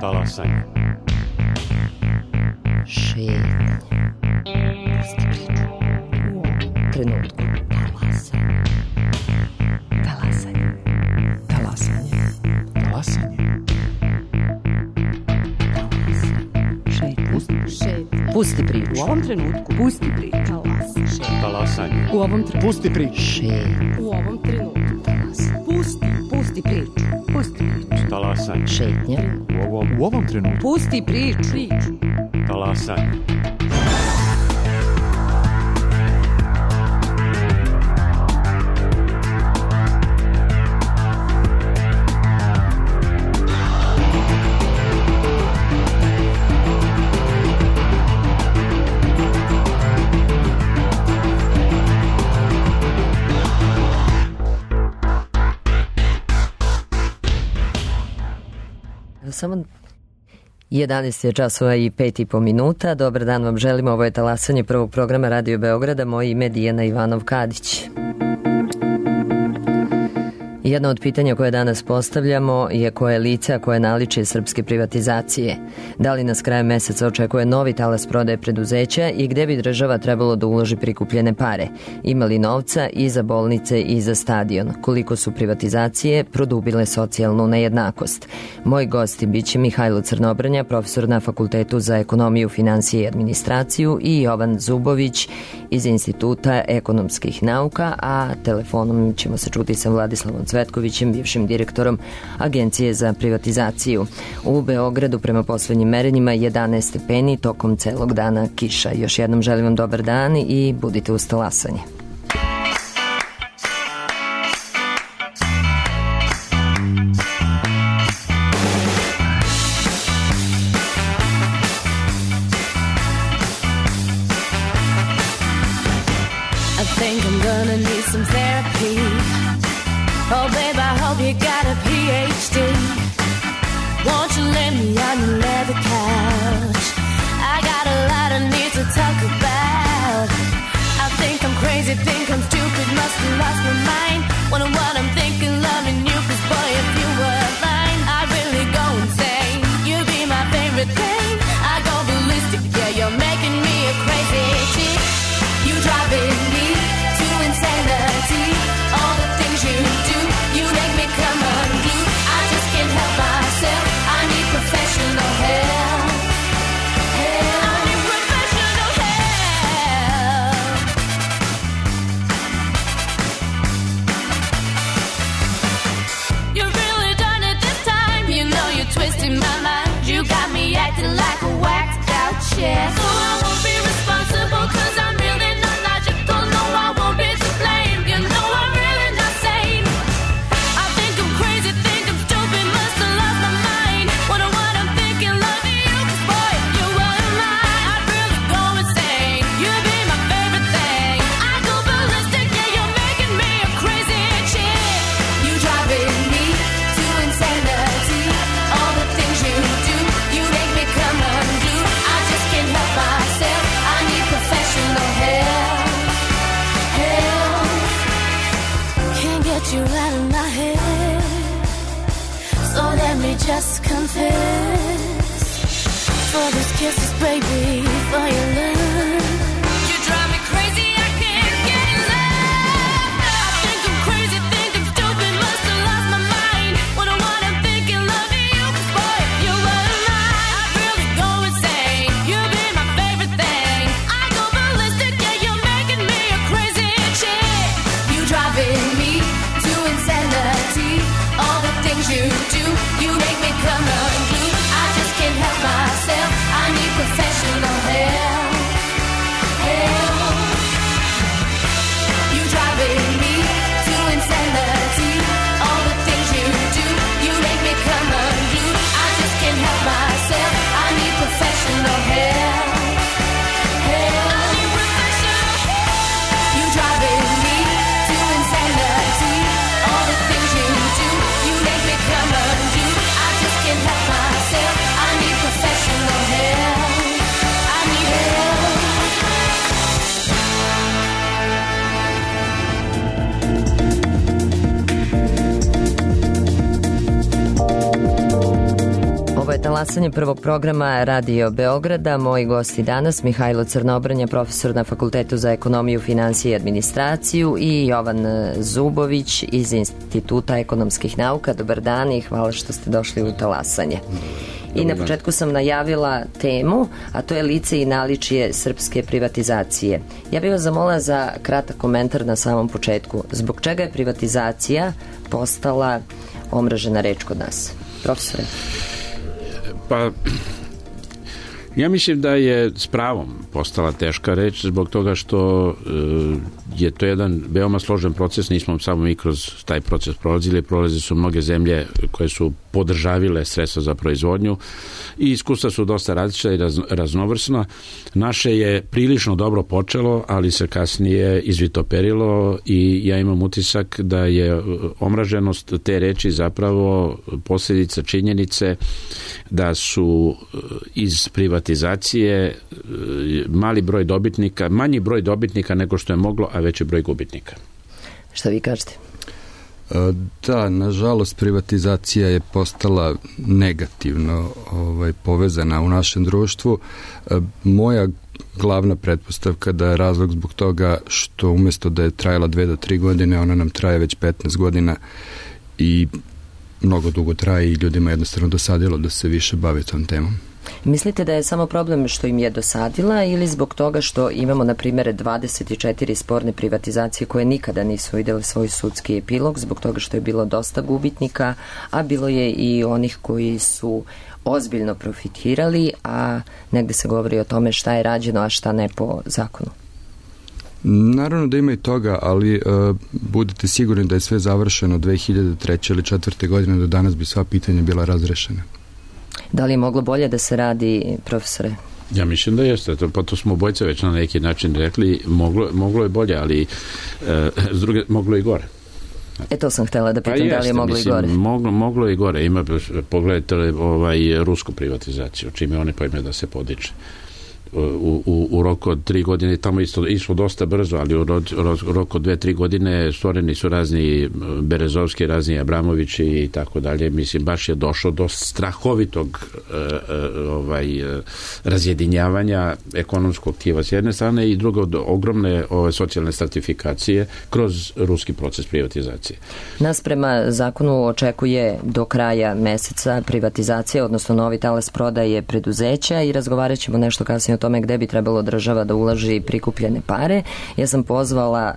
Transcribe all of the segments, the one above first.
Talasanje. Šetnje. Pusti priču. U ovom trenutku. Talasanje. Talasanje. Talasanje. Šetnje. Pusti priču. U ovom trenutku. Pusti priču. Talasanje. U ovom trenutku. Pusti priču. Šetnje. U ovom trenutku. Pusti priču. Pusti priču. Talasanje. Šetnje. U ovom trenutku. Pusti priču. Talasanje. Samo 11 je časova i 5,5 minuta. Dobar dan vam želimo. Ovo je talasanje prvog programa Radio Beograda. Moje ime je Dijana Ivanov-Kadić. Jedno od pitanja koje danas postavljamo je koje lice, a koje naličje srpske privatizacije. Da li nas krajem meseca očekuje novi talas prodaje preduzeća i gde bi država trebalo da uloži prikupljene pare? Ima li novca i za bolnice i za stadion? Koliko su privatizacije produbile socijalnu nejednakost? Moj gosti biće Mihajlo Crnobrnja, profesor na Fakultetu za ekonomiju, finansije i administraciju, i Jovan Zubović iz Instituta ekonomskih nauka, a telefonom ćemo se čuti sa Vladislavom Cvetkovićem, bivšim direktorom Agencije za privatizaciju. U Beogradu prema poslednjim merenjima 11 stepeni, tokom celog dana kiša. Još jednom želim vam dobar dan i budite uz talasanje. I think I'm gonna need some therapy. Oh babe, I hope you got a PhD. Won't you lay me on your leather couch? I got a lot I need to talk about. I think I'm crazy, think I'm stupid, must have lost my mind. Wonder what I'm thinking, loving you, 'cause boy, if you were mine, I'd really go insane. You'd be my favorite thing. I go ballistic, yeah, you're making me a crazy chick. You driving me to insanity. All the things you do, you make me come unglued. I just can't help myself. I need professional help. I need professional help. You've really done it this time. You know you're twisting my mind. You got me acting like a whacked out chick. So I won't be responsible 'cause I'm really not logical. No, I won't be to blame. You know I'm really not sane. I think I'm crazy, think I'm stupid, must have lost my mind. Wonder what I'm thinking, loving you, 'cause boy, if you were mine, I'd really go insane. You'd be my favorite thing. I go ballistic, yeah, you're making me a crazy chick. You driving me to insanity. All the things you do, you make me come unglued. I just can't help myself. I need professional help. Can't get you out of my head. So let me just confess. For these kisses, baby, for your love. You drive me crazy, I can't get enough. I think I'm crazy, think I'm stupid, must have lost my mind. Wonder what I'm thinking, loving you, 'cause boy, if you were mine, I'd really go insane. You'd be my favorite thing. I go ballistic, yeah, you're making me a crazy chick. You driving me to insanity. All the things you do, you make me come unglued. I just can't help myself. I need professional help. Talasanje prvog programa Radio Beograda. Moji gosti danas Mihajlo Crnobrnja, profesor na Fakultetu za ekonomiju, finansije i administraciju, i Jovan Zubović iz Instituta ekonomskih nauka. Dobar dan i hvala što ste došli u Talasanje. I na početku sam najavila temu, a to je lice i naličje srpske privatizacije. Ja bih vas zamolila za kratak komentar na samom početku. Zbog čega je privatizacija postala omražena reč kod nas? Profesore. Pa, ja mislim da je s pravom postala teška reč zbog toga što je to jedan veoma složen proces, nismo samo mi kroz taj proces prolazili su mnoge zemlje koje su podržavile sredstva za proizvodnju i iskustva su dosta različita i raznovrsna. Naše je prilično dobro počelo, ali se kasnije izvitoperilo i ja imam utisak da je omraženost te reči zapravo posljedica činjenice da su iz privatizacije manji broj dobitnika nego što je moglo, a veći broj gubitnika. Šta vi kažete? Da, nažalost privatizacija je postala negativno povezana u našem društvu. Moja glavna pretpostavka da je razlog zbog toga što umjesto da je trajala 2 do 3 godine, ona nam traje već 15 godina i mnogo dugo traje i ljudima jednostavno dosadilo da se više bave tom temom. Mislite da je samo problem što im je dosadila ili zbog toga što imamo, na primjer, 24 sporne privatizacije koje nikada nisu vidjeli svoj sudski epilog, zbog toga što je bilo dosta gubitnika, a bilo je i onih koji su ozbiljno profitirali, a negde se govori o tome šta je rađeno, a šta ne po zakonu? Naravno da ima i toga, ali budite sigurni da je sve završeno 2003. ili 2004. godine, do danas bi sva pitanja bila razrešena. Da li je moglo bolje da se radi, profesore? Ja mislim da jeste, pa to smo obojce već na neki način rekli, moglo je bolje, ali s druge, moglo i gore. To sam htjela da pitam, da li je moglo i gore? Moglo i gore, pogledajte rusku privatizaciju, čime oni pojme da se podiče. U roku od 3 godine, tamo išlo dosta brzo, ali u roku od 2-3 godine stvoreni su razni Berezovski, razni Abramovići i tako dalje. Mislim, baš je došlo do strahovitog razjedinjavanja ekonomskog tkiva s jedne strane i drugo do ogromne socijalne stratifikacije kroz ruski proces privatizacije. Nas prema zakonu očekuje do kraja meseca privatizacija, odnosno novi talas prodaje preduzeća i razgovarat ćemo nešto kasnije o tome gde bi trebalo država da ulaži prikupljene pare. Ja sam pozvala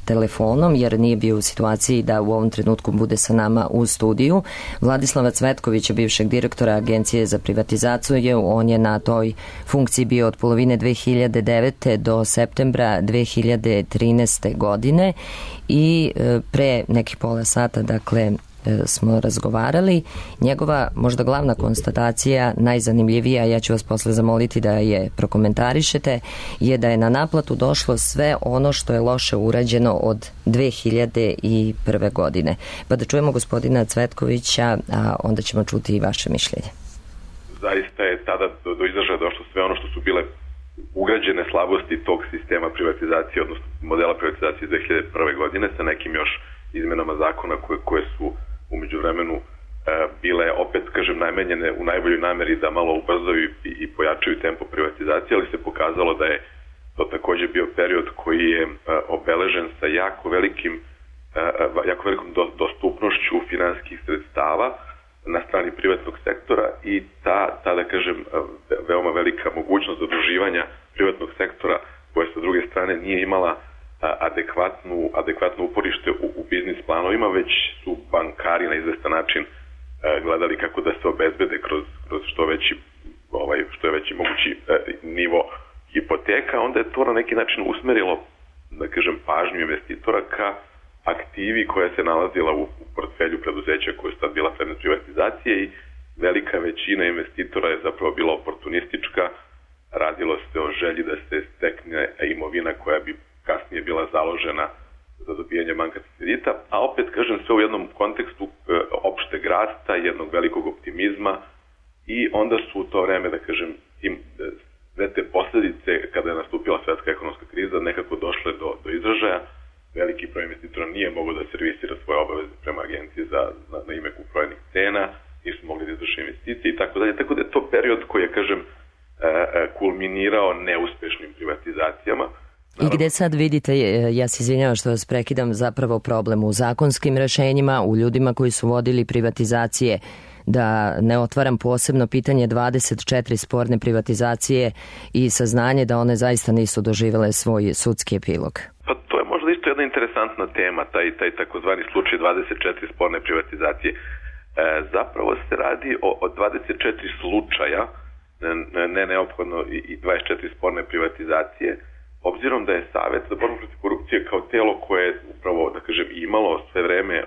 telefonom jer nije bio u situaciji da u ovom trenutku bude sa nama u studiju Vladislava Cvetkovića, bivšeg direktora Agencije za privatizaciju. On je na toj funkciji bio od polovine 2009. do septembra 2013. godine i pre nekih pola sata, dakle, smo razgovarali. Njegova možda glavna konstatacija, najzanimljivija, ja ću vas posle zamoliti da je prokomentarišete, je da je na naplatu došlo sve ono što je loše urađeno od 2001. godine. Pa da čujemo gospodina Cvetkovića, a onda ćemo čuti i vaše mišljenje. Zaista je tada do izražaja došlo sve ono što su bile ugrađene slabosti tog sistema privatizacije, odnosno modela privatizacije 2001. godine sa nekim još izmenama zakona koje su u međuvremenu bile, opet kažem, namenjene u najboljoj nameri da malo ubrzaju i pojačaju tempo privatizacije, ali se pokazalo da je to također bio period koji je obeležen sa jako velikom dostupnošću finansijskih sredstava na strani privatnog sektora i ta da kažem, veoma velika mogućnost zaduživanja privatnog sektora koja sa druge strane nije imala adekvatno uporište u biznis planovima, već su bankari na izvestan način gledali kako da se obezbede kroz što je veći mogući nivo hipoteka. Onda je to na neki način usmerilo, da kažem, pažnju investitora ka aktivi koja se nalazila u portfelju preduzeća koja je sad bila predmet privatizacije i velika većina investitora je zapravo bila oportunistička. Radilo se o želji da se stekne imovina koja bi kasnije bila založena za dobijanje bankarskih kredita, a opet kažem sve u jednom kontekstu opšteg rasta, jednog velikog optimizma i onda su u to vreme, da kažem, sve te posljedice kada je nastupila svetska ekonomska kriza nekako došle do izražaja. Veliki broj investitora nije mogao da servisira svoje obaveze prema agenciji na ime kupoprodanih cena, nisu mogli da izvrše investicije i tako dalje. Tako da je kažem, kulminirao neuspešnim privatizacijama. I gde sad vidite, ja se izvinjavam što vas prekidam, zapravo problem u zakonskim rešenjima, u ljudima koji su vodili privatizacije, da ne otvaram posebno pitanje 24 sporne privatizacije i saznanje da one zaista nisu doživele svoj sudski epilog? Pa to je možda isto jedna interesantna tema, taj takozvani slučaj 24 sporne privatizacije. Zapravo se radi o 24 slučaja, ne neophodno i 24 sporne privatizacije, obzirom da je Savet za borbu protiv korupcije kao telo koje je upravo, da kažem, imalo sve vreme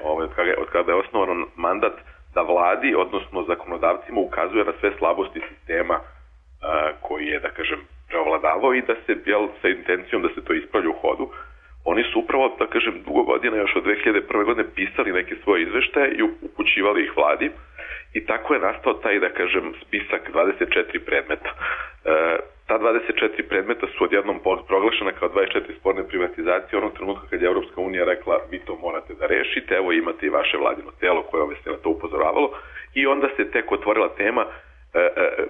od kada je osnovan mandat da vladi, odnosno zakonodavcima ukazuje na sve slabosti sistema koji je, da kažem, preovladavao i da se, sa intencijom da se to ispravlja u hodu. Oni su upravo, da kažem, dugo godina, još od 2001. godine pisali neke svoje izveštaje i upućivali ih vladi i tako je nastao taj, da kažem, spisak 24 predmeta. Ta 24 predmeta su odjednom proglašena kao 24 sporne privatizacije onog trenutka kad je Evropska unija rekla vi to morate da rešite, evo imate i vaše vladino telo koje vas je na to upozoravalo i onda se tek otvorila tema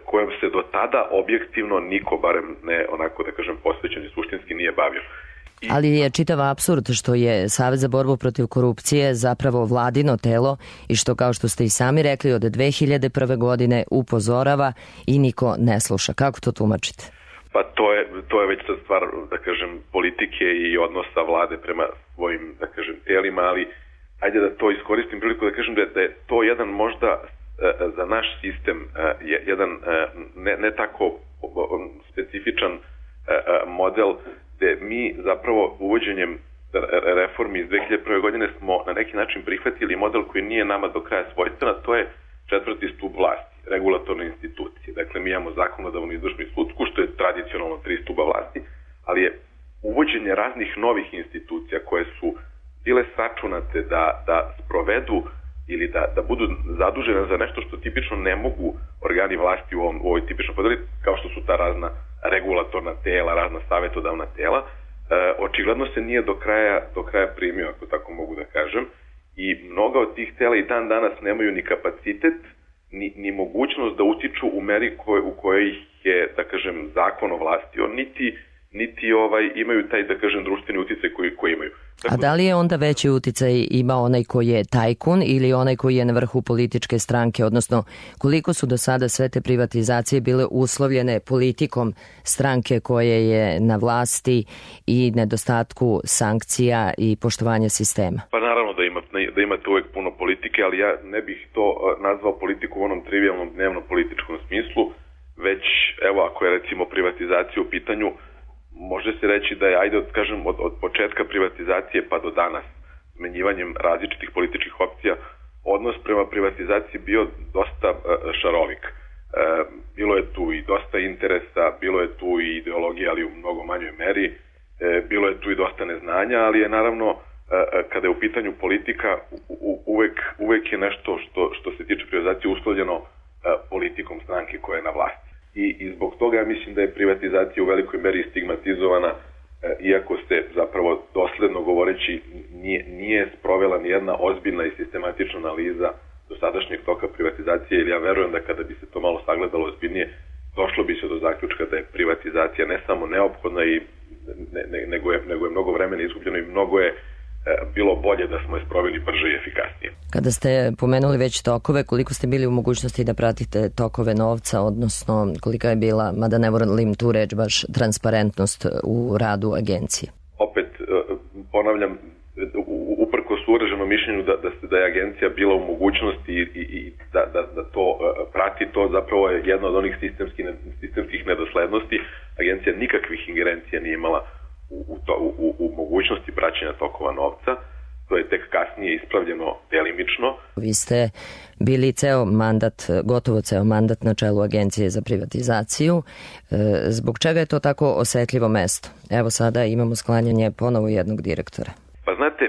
kojom se do tada objektivno niko, barem ne onako da kažem posvećen i suštinski, nije bavio. Ali je čitav apsurd što je Savet za borbu protiv korupcije zapravo vladino telo i što, kao što ste i sami rekli, od 2001. godine upozorava i niko ne sluša. Kako to tumačite? Pa to je već sad stvar, da kažem, politike i odnosa vlade prema svojim, da kažem, telima, ali ajde da to iskoristim priliku da kažem da je to jedan možda za naš sistem jedan ne tako specifičan model gde mi zapravo uvođenjem reformi iz 2001. godine smo na neki način prihvatili model koji nije nama do kraja svojstven, a to je 4. stup vlasti, regulatorne institucije. Dakle, mi imamo zakonodavnu, izvršnu i sudsku, što je tradicionalno 3 stuba vlasti, ali je uvođenje raznih novih institucija koje su bile sačunate da sprovedu ili da budu zadužene za nešto što tipično ne mogu organi vlasti u ovoj tipičnoj podeli, kao što su ta razna regulatorna tela, razna savetodavna tela, očigledno se nije do kraja primio, ako tako mogu da kažem, i mnoga od tih tela i dan danas nemaju ni kapacitet, ni mogućnost da utiču u meri u kojoj je, da kažem, zakon ovlastio, niti imaju taj, da kažem, društveni uticaj koji imaju. A da li je onda veći uticaj ima onaj koji je tajkun ili onaj koji je na vrhu političke stranke, odnosno koliko su do sada sve te privatizacije bile uslovljene politikom stranke koje je na vlasti i nedostatku sankcija i poštovanja sistema? Pa naravno da imate uvek puno politike, ali ja ne bih to nazvao politiku u onom trivialnom dnevnom političkom smislu, već evo ako je recimo privatizacija u pitanju, može se reći da je, ajde kažem, od početka privatizacije pa do danas, smenjivanjem različitih političkih opcija, odnos prema privatizaciji bio dosta šarovik. Bilo je tu i dosta interesa, bilo je tu i ideologija, ali u mnogo manjoj meri, bilo je tu i dosta neznanja, ali je naravno, kada je u pitanju politika, uvek je nešto što se tiče privatizacije uslovljeno politikom stranke koja je na vlasti. I zbog toga ja mislim da je privatizacija u velikoj meri stigmatizovana, iako se zapravo dosledno govoreći nije sprovela nijedna ozbiljna i sistematična analiza dosadašnjeg toka privatizacije, jer ja verujem da kada bi se to malo sagledalo ozbiljnije, došlo bi se do zaključka da je privatizacija ne samo neophodna nego je mnogo vremena izgubljeno i mnogo je bilo bolje da smo je sproveli brže i efikasnije. Kada ste pomenuli već tokove, koliko ste bili u mogućnosti da pratite tokove novca, odnosno kolika je bila, mada ne volim tu reč, baš transparentnost u radu agencije? Opet, ponavljam, uprkos uraženom mišljenju da je agencija bila u mogućnosti i da to prati, to zapravo je jedna od onih sistemskih nedoslednosti. Agencija nikakvih ingerencija nije imala u mogućnosti praćenja tokova novca. To je tek kasnije ispravljeno delimično. Vi ste bili gotovo ceo mandat na čelu Agencije za privatizaciju. Zbog čega je to tako osetljivo mesto? Evo sada imamo sklanjanje ponovo jednog direktora. Pa znate,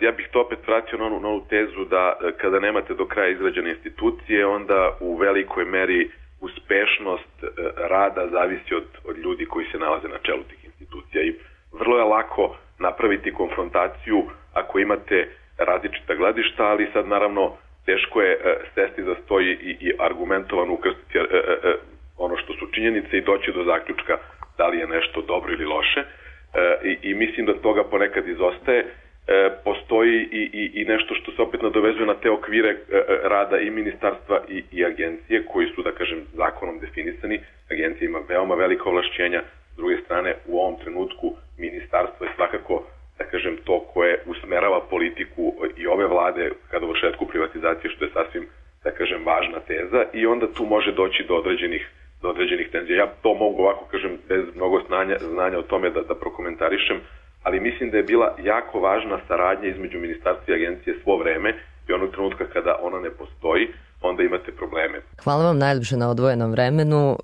ja bih to opet vratio na onu tezu da kada nemate do kraja izgrađene institucije, onda u velikoj meri uspešnost rada zavisi od ljudi koji se nalaze na čelu tih institucija i vrlo je lako napraviti konfrontaciju ako imate različita gledišta, ali sad naravno teško je sesti za stoj i argumentovano ukrstiti ono što su činjenice i doći do zaključka da li je nešto dobro ili loše. I mislim da toga ponekad izostaje. Postoji i nešto što se opet nadovezuje na te okvire rada i ministarstva i agencije koji su, da kažem, zakonom definisani. Agencija ima veoma velika ovlašćenja. S druge strane, u ovom trenutku ministarstvo je svakako, da kažem, to koje usmerava politiku i ove vlade ka dovršetku privatizacije, što je sasvim, da kažem, važna teza, i onda tu može doći do određenih tenzija. Ja to mogu ovako, kažem, bez mnogo znanja o tome da prokomentarišem, ali mislim da je bila jako važna saradnja između ministarstva i agencije svo vreme i onog trenutka kada ona ne postoji, onda imate probleme. Hvala vam najljepše na odvojenom vremenu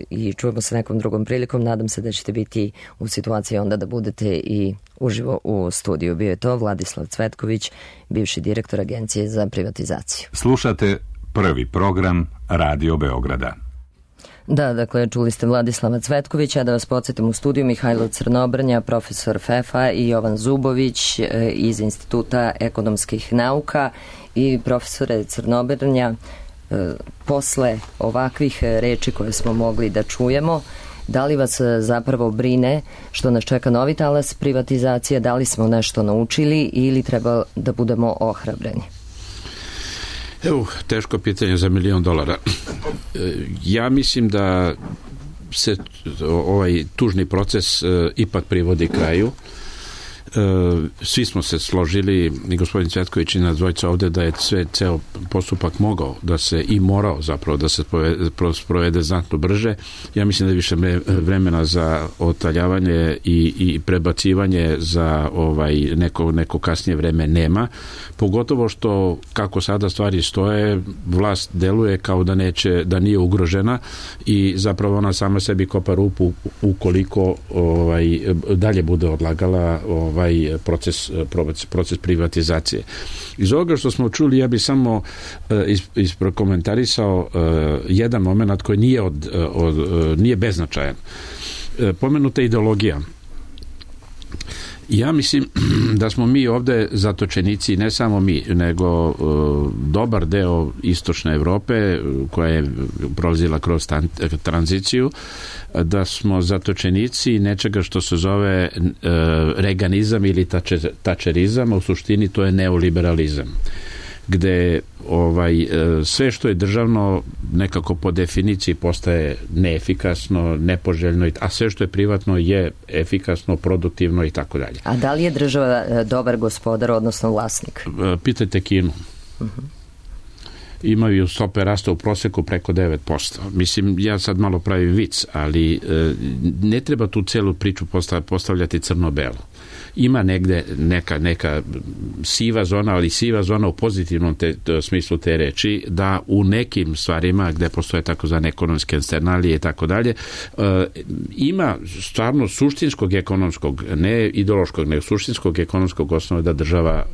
i čujemo se nekom drugom prilikom. Nadam se da ćete biti u situaciji onda da budete i uživo u studiju. Bio je to Vladislav Cvetković, bivši direktor Agencije za privatizaciju. Slušate prvi program Radio Beograda. Da, dakle, čuli ste Vladislava Cvetkovića, da vas podsjetim, u studiju Mihajlo Crnobrnja, profesor FEFA, i Jovan Zubović iz Instituta ekonomskih nauka. I profesore Crnobrnja, posle ovakvih reči koje smo mogli da čujemo, da li vas zapravo brine što nas čeka novi talas privatizacije, da li smo nešto naučili ili treba da budemo ohrabreni? Evo, teško pitanje za $1.000.000. Ja mislim da se ovaj tužni proces ipak privodi kraju. Svi smo se složili, i gospodin Cvetković i nas dvojica ovde, da je ceo postupak mogao da se i morao zapravo da se sprovede znatno brže. Ja mislim da je više vremena za otaljavanje i prebacivanje za neko kasnije vreme nema. Pogotovo što, kako sada stvari stoje, vlast deluje kao da nije ugrožena i zapravo ona sama sebi kopa rupu ukoliko dalje bude odlagala proces privatizacije. Iz ovoga što smo čuli, ja bih samo isprokomentarisao jedan moment koji nije beznačajan. Pomenuta ideologija. Ja mislim da smo mi ovde zatočenici, ne samo mi, nego dobar deo istočne Evrope koja je prolazila kroz tranziciju, da smo zatočenici nečega što se zove reganizam ili tačerizam, a u suštini to je neoliberalizam, gde sve što je državno nekako po definiciji postaje neefikasno, nepoželjno, a sve što je privatno je efikasno, produktivno i tako dalje. A da li je država dobar gospodar, odnosno vlasnik? Pitajte Kinu. Imaju stope rasta u proseku preko 9%. Mislim, ja sad malo pravim vic, ali ne treba tu celu priču postavljati crno-belo. Ima negde neka siva zona, ali siva zona u pozitivnom smislu te reči, da u nekim stvarima gde postoje takozvane ekonomske eksternalije i tako dalje, ima stvarno suštinskog ekonomskog, ne ideološkog, nego suštinskog ekonomskog osnova da država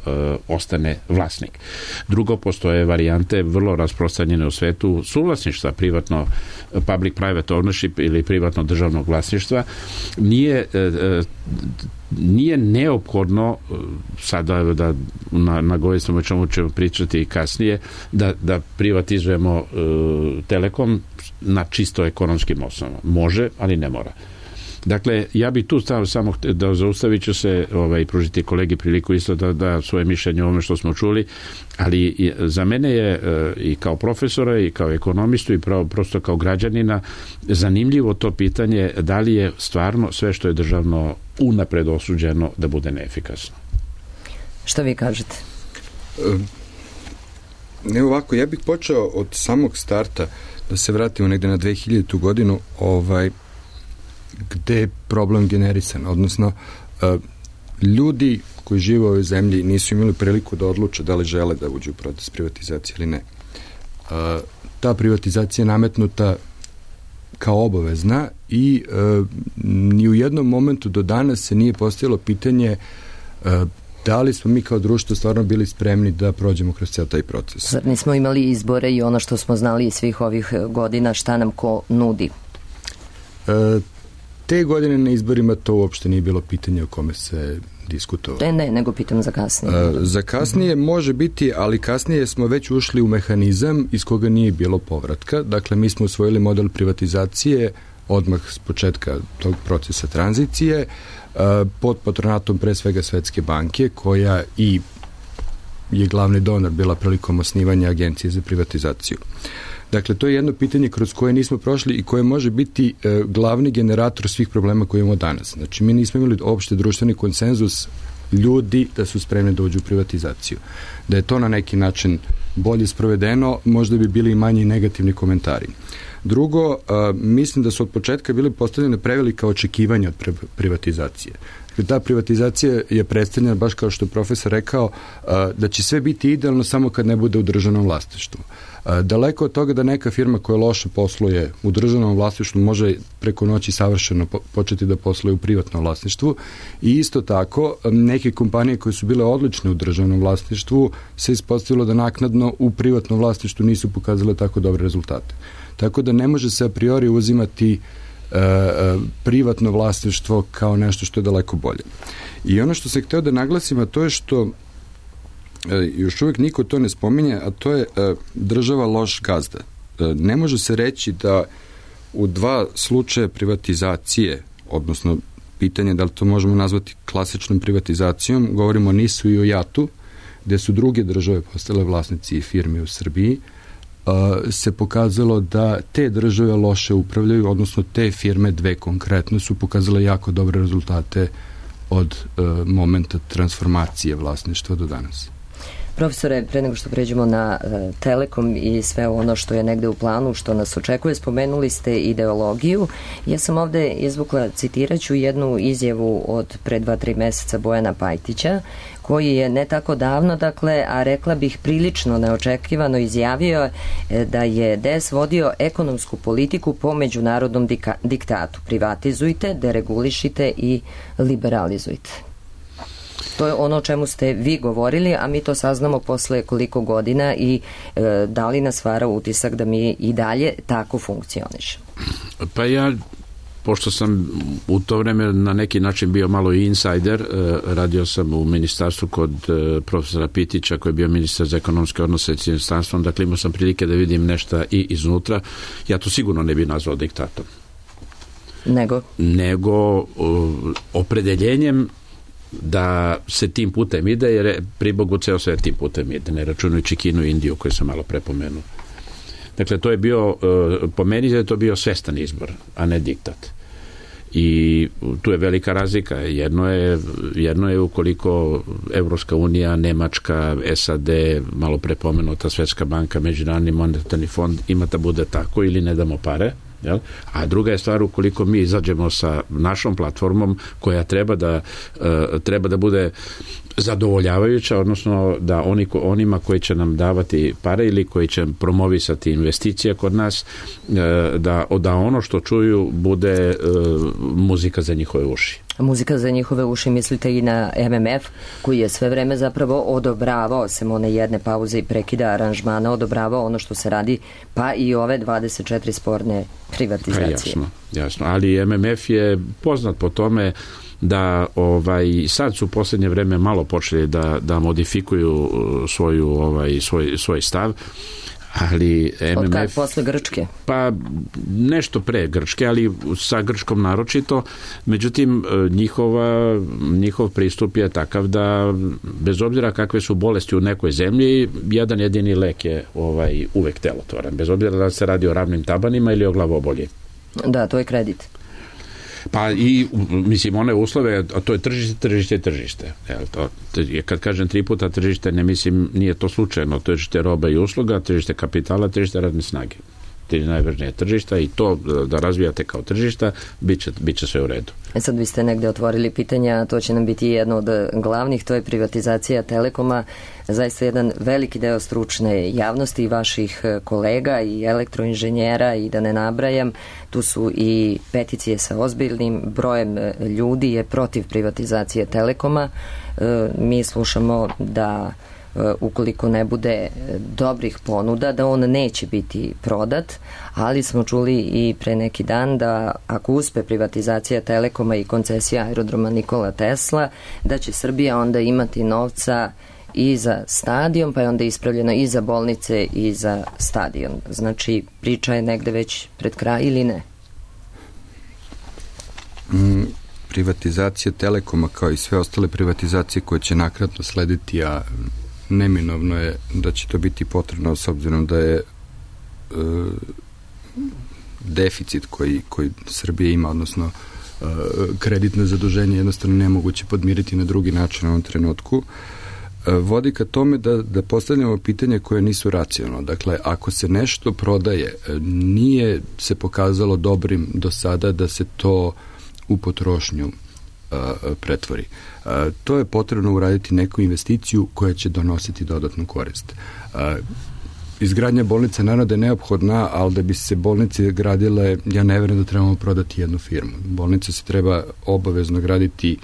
ostane vlasnik. Drugo, postoje varijante vrlo rasprostranjene u svetu suvlasništva, privatno public-private ownership ili privatno državnog vlasništva. Nije neophodno, sada da nagovorimo o čemu ćemo pričati kasnije, da privatizujemo Telekom na čisto ekonomskim osnovama. Može, ali ne mora. Dakle, ja bih tu stavio samo da zaustavit ću se pružiti kolegi priliku isto da svoje mišljenje o ovome što smo čuli, ali za mene je i kao profesora i kao ekonomistu i prosto kao građanina zanimljivo to pitanje da li je stvarno sve što je državno unapred osuđeno da bude neefikasno. Što vi kažete? Ne ovako, ja bih počeo od samog starta, da se vratimo negde na 2000. godinu, gde je problem generisan, odnosno ljudi koji žive u ovoj zemlji nisu imali priliku da odluče da li žele da uđu u proces privatizacije ili ne. Ta privatizacija je nametnuta kao obavezna i ni u jednom momentu do danas se nije postavilo pitanje da li smo mi kao društvo stvarno bili spremni da prođemo kroz cijel taj proces. Zar nismo imali izbore i ono što smo znali iz svih ovih godina, šta nam ko nudi? Te godine na izborima to uopšte nije bilo pitanje o kome se diskutovali. Ne, nego pitam za kasnije. Za kasnije može biti, ali kasnije smo već ušli u mehanizam iz koga nije bilo povratka. Dakle, mi smo usvojili model privatizacije odmah s početka tog procesa tranzicije pod patronatom pre svega Svetske banke, koja i je glavni donor bila prilikom osnivanja Agencije za privatizaciju. Dakle, to je jedno pitanje kroz koje nismo prošli i koje može biti glavni generator svih problema koje imamo danas. Znači, mi nismo imali opšte društveni konsenzus ljudi da su spremni da uđu u privatizaciju. Da je to na neki način bolje sprovedeno, možda bi bili i manji negativni komentari. Drugo, mislim da su od početka bili postavljene prevelika očekivanja od privatizacije. Ta privatizacija je predstavljena, baš kao što je profesor rekao, da će sve biti idealno samo kad ne bude u državnom vlasništvu. Daleko od toga da neka firma koja loše posluje u državnom vlasništvu može preko noći savršeno početi da posluje u privatnom vlasništvu i isto tako neke kompanije koje su bile odlične u državnom vlasništvu se ispostavilo da naknadno u privatnom vlasništvu nisu pokazale tako dobre rezultate. Tako da ne može se a priori uzimati privatno vlasništvo kao nešto što je daleko bolje. I ono što se hteo da naglasim, a to je što još uvijek niko to ne spominje, a to je država loš gazda. Ne može se reći da u dva slučaja privatizacije, odnosno pitanje da li to možemo nazvati klasičnom privatizacijom, govorimo o NIS-u i o JAT-u, gde su druge države postale vlasnici i firme u Srbiji, se pokazalo da te države loše upravljaju, odnosno te firme, dve konkretno, su pokazale jako dobre rezultate od momenta transformacije vlasništva do danas. Profesore, pre nego što pređemo na Telekom i sve ono što je negde u planu, što nas očekuje, spomenuli ste ideologiju. Ja sam ovde izvukla, citiraću jednu izjavu od pre 2-3 meseca Bojana Pajtića, koji je ne tako davno, dakle, a rekla bih prilično neočekivano izjavio da je DS vodio ekonomsku politiku po međunarodnom diktatu. Privatizujte, deregulišite i liberalizujte. To je ono o čemu ste vi govorili, a mi to saznamo posle koliko godina i da li nas vara utisak da mi i dalje tako funkcionišemo? Pa ja, pošto sam u to vreme na neki način bio malo i insajder, radio sam u ministarstvu kod profesora Pitića, koji je bio ministar za ekonomske odnose s inostranstvom, dakle imao sam prilike da vidim nešto i iznutra. Ja to sigurno ne bih nazvao diktatom. Nego opredeljenjem da se tim putem ide, jer je pri Bogu ceo sve tim putem ide, ne računajući Kinu i Indiju koju sam malo prepomenuo. Dakle, to je bio, po meni je to bio svestan izbor, a ne diktat. I tu je velika razlika. Jedno je ukoliko Evropska unija, Nemačka, SAD, malo prepomenuta Svetska banka, Međunarodni monetarni fond ima da bude tako ili ne damo pare, jel? A druga je stvar ukoliko mi izađemo sa našom platformom koja treba da bude zadovoljavajuća, odnosno da onima koji će nam davati pare ili koji će promovisati investicije kod nas, da ono što čuju bude muzika za njihove uši. Muzika za njihove uši, mislite i na MMF, koji je sve vreme zapravo odobravao, sem one jedne pauze i prekida aranžmana, odobravao ono što se radi, pa i ove 24 sporne privatizacije. Jasno, ali MMF je poznat po tome da sad su u posljednje vreme malo počeli da modifikuju svoj stav, ali MMF... Od kad, posle Grčke? Pa nešto pre Grčke, ali sa Grčkom naročito. Međutim, njihov pristup je takav da bez obzira kakve su bolesti u nekoj zemlji, jedan jedini lek je uvek delotvoran, bez obzira da se radi o ravnim tabanima ili o glavobolji. Da, to je kredit. Pa i, mislim, one uslove, a to je tržište. Kad kažem 3 puta tržište, ne mislim, nije to slučajno, tržište roba i usluga, tržište kapitala, tržište radne snage. Najvažnije tržišta i to da razvijate kao tržišta, bit će sve u redu. Sad vi ste negde otvorili pitanja, to će nam biti jedno od glavnih, to je privatizacija Telekoma, zaista jedan veliki deo stručne javnosti i vaših kolega i elektroinženjera i da ne nabrajam, tu su i peticije sa ozbiljnim brojem ljudi je protiv privatizacije Telekoma. Mi slušamo da ukoliko ne bude dobrih ponuda, da on neće biti prodat, ali smo čuli i pre neki dan da ako uspe privatizacija Telekoma i koncesija aerodroma Nikola Tesla, da će Srbija onda imati novca i za stadion, pa je onda ispravljeno i za bolnice i za stadion. Znači, priča je negde već pred kraj ili ne? Privatizacija Telekoma kao i sve ostale privatizacije koje će nakratno slediti, a neminovno je da će to biti potrebno s obzirom da je deficit koji Srbija ima, odnosno kreditno zaduženje jednostavno nemoguće podmiriti na drugi način u ovom trenutku, vodi ka tome da postavljamo pitanje koje nisu racionalno. Dakle, ako se nešto prodaje, nije se pokazalo dobrim do sada da se to u potrošnju pretvori. To je potrebno uraditi neku investiciju koja će donositi dodatnu korist. Izgradnja bolnica naravno da je neophodna, ali da bi se bolnice gradile, ja ne verujem da trebamo prodati jednu firmu. Bolnica se treba obavezno graditi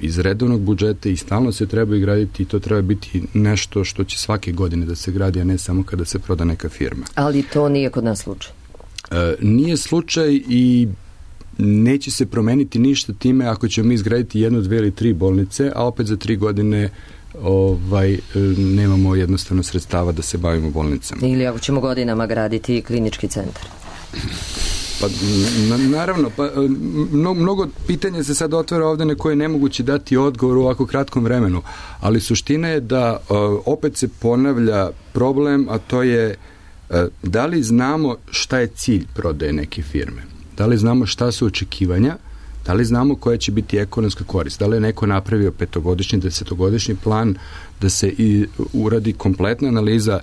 iz redovnog budžeta i stalno se treba i graditi i to treba biti nešto što će svake godine da se gradi, a ne samo kada se proda neka firma. Ali to nije kod nas slučaj. Nije slučaj i neće se promeniti ništa time ako ćemo mi izgraditi 1, 2 ili 3 bolnice, a opet za 3 godine nemamo jednostavno sredstava da se bavimo bolnicama. Ili ako ćemo godinama graditi klinički centar. Pa, naravno, mnogo pitanja se sad otvara ovde na koje je nemoguće dati odgovor u ovako kratkom vremenu, ali suština je da opet se ponavlja problem, a to je da li znamo šta je cilj prodaje neke firme, da li znamo šta su očekivanja, da li znamo koja će biti ekonomska korist, da li je neko napravio 5-godišnji, 10-godišnji plan, da se i uradi kompletna analiza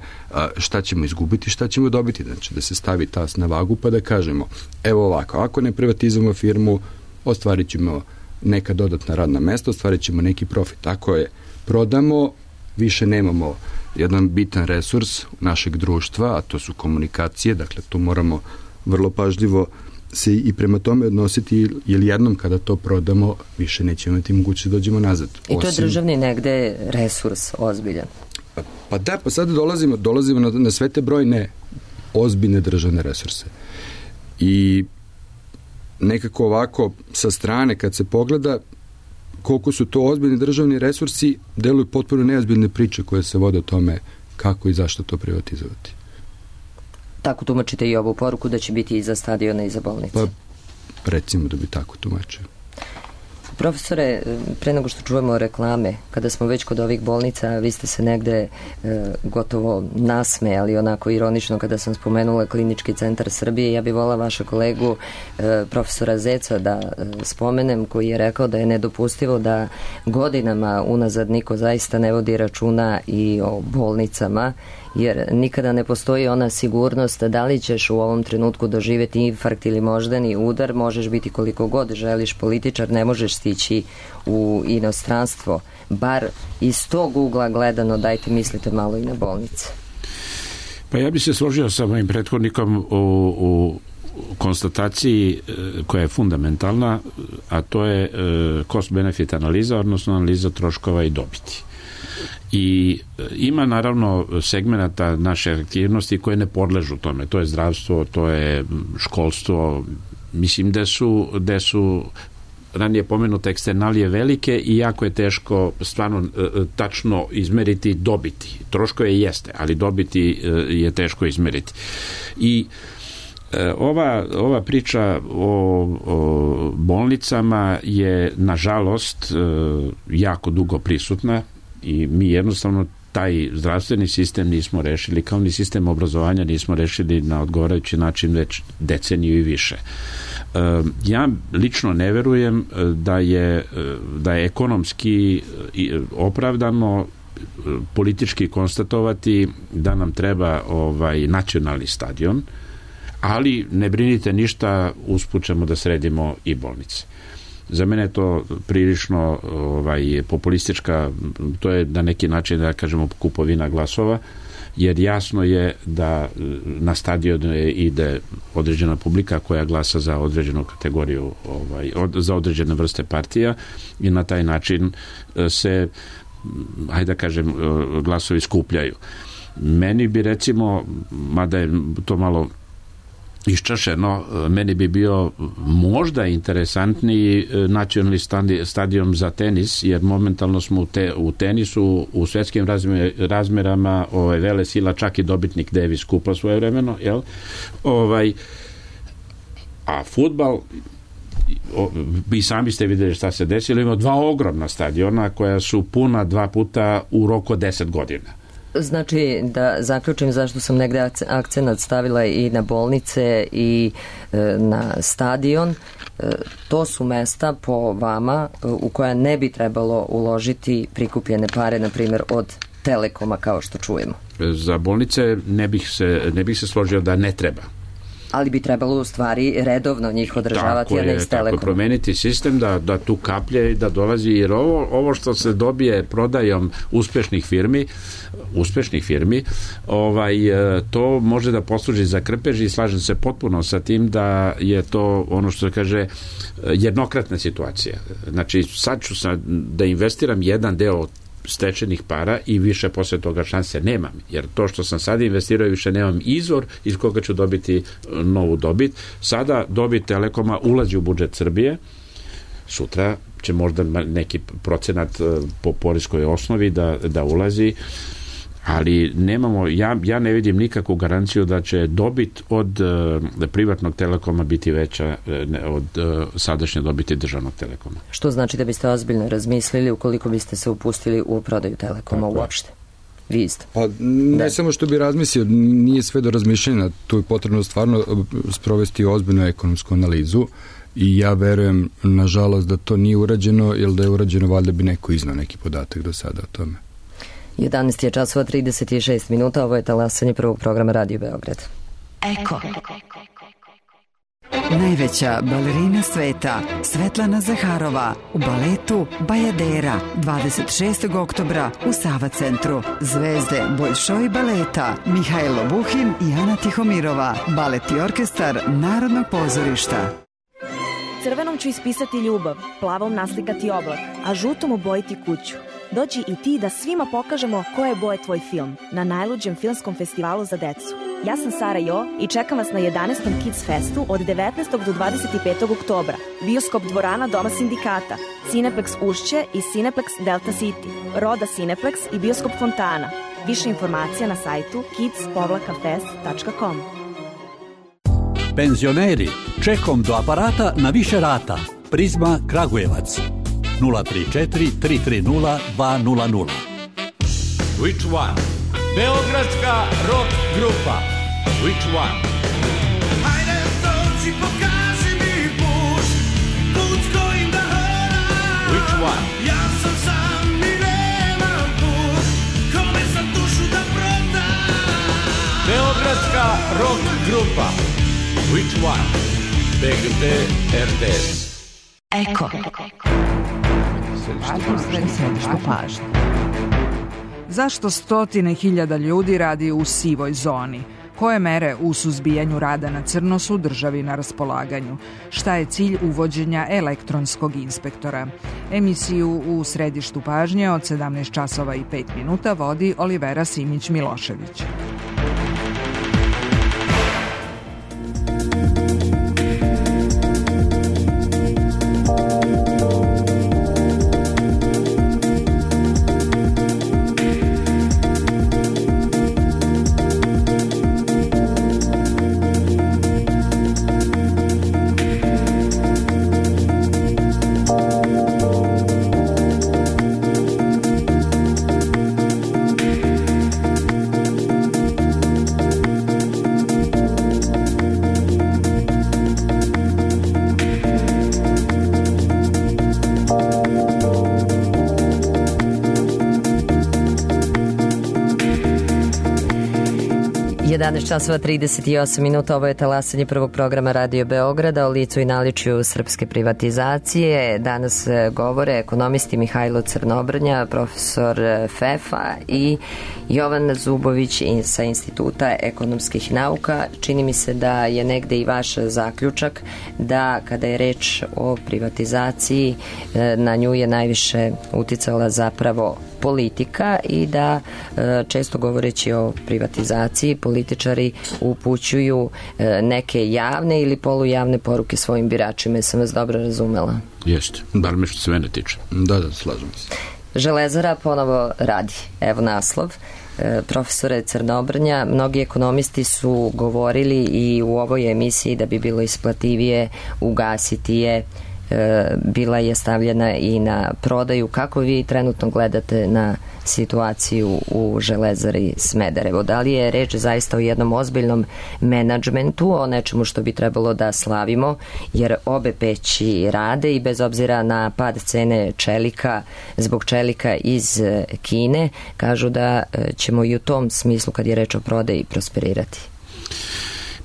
šta ćemo izgubiti, šta ćemo dobiti, znači da se stavi tas na vagu pa da kažemo, evo ovako, ako ne privatizujemo firmu, ostvarit ćemo neka dodatna radna mesta, ostvarit ćemo neki profit. Ako je prodamo, više nemamo jedan bitan resurs našeg društva, a to su komunikacije, dakle tu moramo vrlo pažljivo se i prema tome odnositi, jer jednom kada to prodamo, više nećemo imati mogućnost da dođemo nazad. I to je državni negde resurs ozbiljan. Pa da, pa sada dolazimo na sve te brojne ozbiljne državne resurse. I nekako ovako sa strane kad se pogleda koliko su to ozbiljni državni resursi, deluju potpuno neozbiljne priče koje se vode o tome kako i zašto to privatizovati. Tako tumačite i ovu poruku da će biti i za stadione i za bolnice? Pa, recimo da bi tako tumačio. Profesore, pre nego što čujemo reklame, kada smo već kod ovih bolnica, vi ste se negde gotovo nasmejali, onako ironično kada sam spomenula Klinički centar Srbije. Ja bih volila vaša kolegu profesora Zeca da spomenem, koji je rekao da je nedopustivo da godinama unazad niko zaista ne vodi računa i o bolnicama, jer nikada ne postoji ona sigurnost da li ćeš u ovom trenutku doživjeti infarkt ili moždani udar, možeš biti koliko god želiš političar, ne možeš stići u inostranstvo. Bar iz tog ugla gledano, dajte mislite malo i na bolnice. Pa ja bih se složio sa mojim prethodnikom u konstataciji koja je fundamentalna, a to je cost-benefit analiza, odnosno analiza troškova i dobiti. I ima naravno segmenata naše aktivnosti koje ne podležu tome. To je zdravstvo, to je školstvo. Mislim da su ranije pomenute eksternalije velike i jako je teško stvarno tačno izmeriti dobiti. Troškove jeste, ali dobiti je teško izmeriti. I ova priča o bolnicama je nažalost jako dugo prisutna i mi jednostavno taj zdravstveni sistem nismo rešili, kao ni sistem obrazovanja nismo rešili na odgovarajući način već deceniju i više. Ja lično ne verujem da je ekonomski opravdano politički konstatovati da nam treba nacionalni stadion, ali ne brinite ništa, usput ćemo da sredimo i bolnice. Za mene je to prilično populistička, to je na neki način, da kažemo, kupovina glasova, jer jasno je da na stadion ide određena publika koja glasa za određenu kategoriju, za određene vrste partija i na taj način se hajde da kažem, glasovi skupljaju. Meni bi recimo, mada je to malo iščašeno, meni bi bio možda interesantniji nacionalni stadion za tenis, jer momentalno smo u tenisu u svetskim razmerama vele sila, čak i dobitnik Davis kupa svojevremeno, jel? A fudbal, vi sami ste vidjeli šta se desilo, ima 2 ogromna stadiona koja su puna 2 puta u roku od 10 godina. Znači, da zaključim zašto sam negde akcenat stavila i na bolnice i na stadion, to su mesta po vama u koja ne bi trebalo uložiti prikupljene pare, na primjer od Telekoma, kao što čujemo. Za bolnice ne bih se složio da ne treba. Ali bi trebalo u stvari redovno njih održavati, a ne iz Telekoma. Tako, promeniti sistem da tu kaplje i da dolazi, jer ovo što se dobije prodajom uspešnih firmi, to može da posluži za krpež i slažem se potpuno sa tim da je to ono što se kaže jednokratna situacija. Znači, sad ću da investiram jedan deo stečenih para i više posle toga šanse nemam, jer to što sam sada investirao više nemam izvor iz koga ću dobiti novu dobit. Sada dobit Telekoma ulazi u budžet Srbije, sutra će možda neki procenat po poreskoj osnovi da ulazi, ali nemamo, ja ne vidim nikakvu garanciju da će dobit od privatnog Telekoma biti veća od sadašnje dobiti državnog Telekoma. Što znači da biste ozbiljno razmislili ukoliko biste se upustili u prodaju Telekoma uopšte? Vi isto. Pa ne samo što bi razmislio, nije sve do razmišljanja, tu je potrebno stvarno sprovesti ozbiljnu ekonomsku analizu i ja verujem, nažalost, da to nije urađeno, jer da je urađeno, valjda bi neko iznao neki podatak do sada o tome. 11 je časova 36 minuta, ovo je talasanje prvog programa Radio Beograd. Eko. Najveća balerina sveta, Svetlana Zaharova, u baletu Bajadera, 26. oktobra u Sava centru. Zvezde Boljšoj baleta, Mihajlo Buhin i Ana Tihomirova, balet i orkestar Narodnog pozorišta. Crvenom ću ispisati ljubav, plavom naslikati oblak, a žutom obojiti kuću. Dođi i ti da svima pokažemo koje boje tvoj film na najluđem filmskom festivalu za decu. Ja sam Sara Jo i čekam vas na 11. Kids Festu od 19. do 25. oktobra. Bioskop dvorana Doma sindikata, Cineplex Ušće i Cineplex Delta City, Roda Cineplex i Bioskop Fontana. Više informacija na sajtu kids-fest.com. Penzioneri, čekom do aparata na više rata. Prizma Kragujevac. 034 330 200. Which one? Beogradska rock grupa. Which one? Hajde dođi, pokaži mi put kojim da hodam. Which one? Ja sam sam i nemam put, kome sam dušu da prodam. Beogradska rock grupa. Which one? BGT RTS. Eko. Središtu pažnje. Zašto stotine hiljada ljudi radi u sivoj zoni? Koje mere u suzbijanju rada na crno su državi na raspolaganju? Šta je cilj uvođenja elektronskog inspektora? Emisiju u Središtu pažnje od 17 časova i 5 minuta vodi Olivera Simić-Milošević. Časova 38 minuta, ovo je talasanje prvog programa Radio Beograda o licu i naličju srpske privatizacije. Danas govore ekonomisti Mihajlo Crnobrnja, profesor FEF-a i Jovan Zubović sa Instituta ekonomskih nauka. Čini mi se da je negde i vaš zaključak da kada je reč o privatizaciji na nju je najviše uticala zapravo politika i da često govoreći o privatizaciji političari upućuju neke javne ili polujavne poruke svojim biračima. Jesam vas dobro razumela? Jeste, bar me što se mene tiče. Da, slažem se. Železara ponovo radi. Evo naslov. Profesore Crnobrnja, mnogi ekonomisti su govorili i u ovoj emisiji da bi bilo isplativije ugasiti je, bila je stavljena i na prodaju. Kako vi trenutno gledate na situaciju u Železari Smederevo? Da li je reč zaista o jednom ozbiljnom menadžmentu, o nečemu što bi trebalo da slavimo, jer obe peći rade i bez obzira na pad cene čelika zbog čelika iz Kine, kažu da ćemo i u tom smislu, kad je reč o prodaji, prosperirati?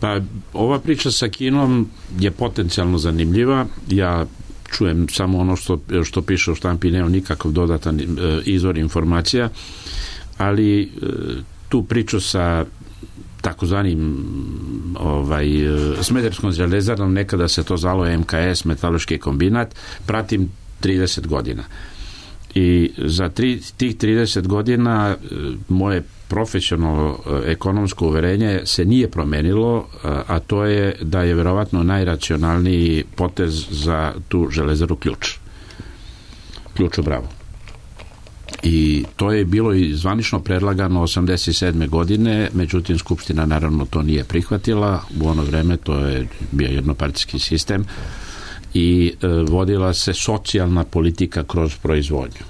Pa, ova priča sa Kinom je potencijalno zanimljiva. Ja čujem samo ono što piše u štampi, nemam nikakav dodatan izvor informacija, ali tu priču sa takozvanim Smederevskom železarom, nekada se to zvalo MKS, metaloški kombinat, pratim 30 godina. I za tih 30 godina moje profesionalno ekonomsko uverenje se nije promenilo, a to je da je verovatno najracionalniji potez za tu železaru ključ u Bravo. I to je bilo i zvanično predlagano 87. godine, međutim Skupština naravno to nije prihvatila. U ono vreme to je bio jednopartijski sistem i vodila se socijalna politika kroz proizvodnju.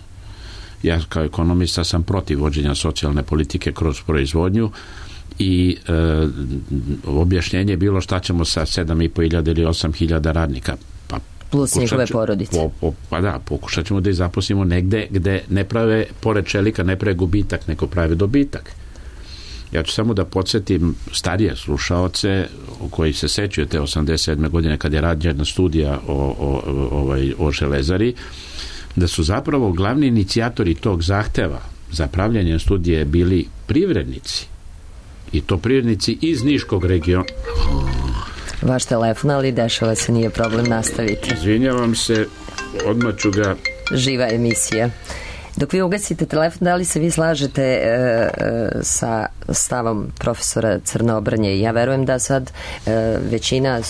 Ja kao ekonomista sam protiv vođenja socijalne politike kroz proizvodnju i objašnjenje je bilo šta ćemo sa 7.500 ili 8.000 radnika. Pa, plus njihove porodice. Pa da, pokušat ćemo da ih zaposlimo negde gde ne prave, pored čelika, ne prave gubitak, nego prave dobitak. Ja ću samo da podsjetim starije slušaoce koji se sećaju te 87. godine kad je rađena studija o železari, da su zapravo glavni inicijatori tog zahteva za pravljanje studije bili privrednici. I to privrednici iz Niškog regiona. Vaš telefon, ali dešava se, nije problem, nastaviti. Izvinjavam se, odmah ću ga... Živa emisija. Dok vi ugasite telefon, da li se vi slažete sa stavom profesora Crnobrnje? Ja verujem da sad većina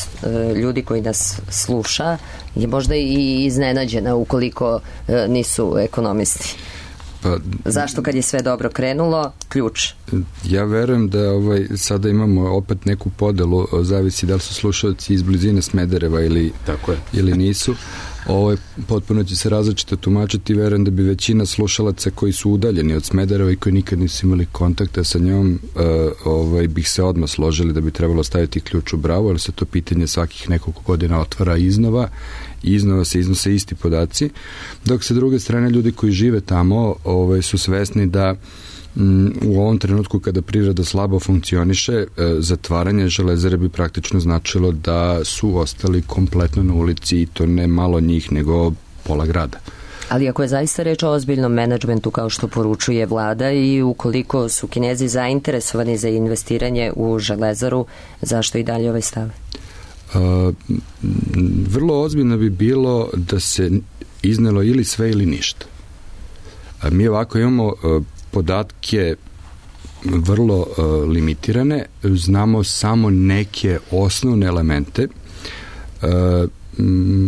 ljudi koji nas sluša je možda i iznenađena ukoliko nisu ekonomisti. Pa, zašto kad je sve dobro krenulo, ključ? Ja verujem da sada imamo opet neku podelu, zavisi da li su slušalci iz blizine Smedereva ili nisu. Potpuno će se različito tumačiti. Verujem da bi većina slušalaca koji su udaljeni od Smedereva i koji nikad nisu imali kontakta sa njom, bih se odmah složili da bi trebalo staviti ključ u Bravo, jer se to pitanje svakih nekoliko godina otvara iznova i iznova se iznose isti podaci, dok sa druge strane ljudi koji žive tamo su svesni da u ovom trenutku kada priroda slabo funkcioniše, zatvaranje železare bi praktično značilo da su ostali kompletno na ulici, i to ne malo njih, nego pola grada. Ali ako je zaista reč o ozbiljnom menadžmentu kao što poručuje vlada i ukoliko su Kinezi zainteresovani za investiranje u železaru, zašto i dalje ovaj stav? Vrlo ozbiljno bi bilo da se iznelo ili sve ili ništa. Mi ovako imamo podatke vrlo limitirane, znamo samo neke osnovne elemente.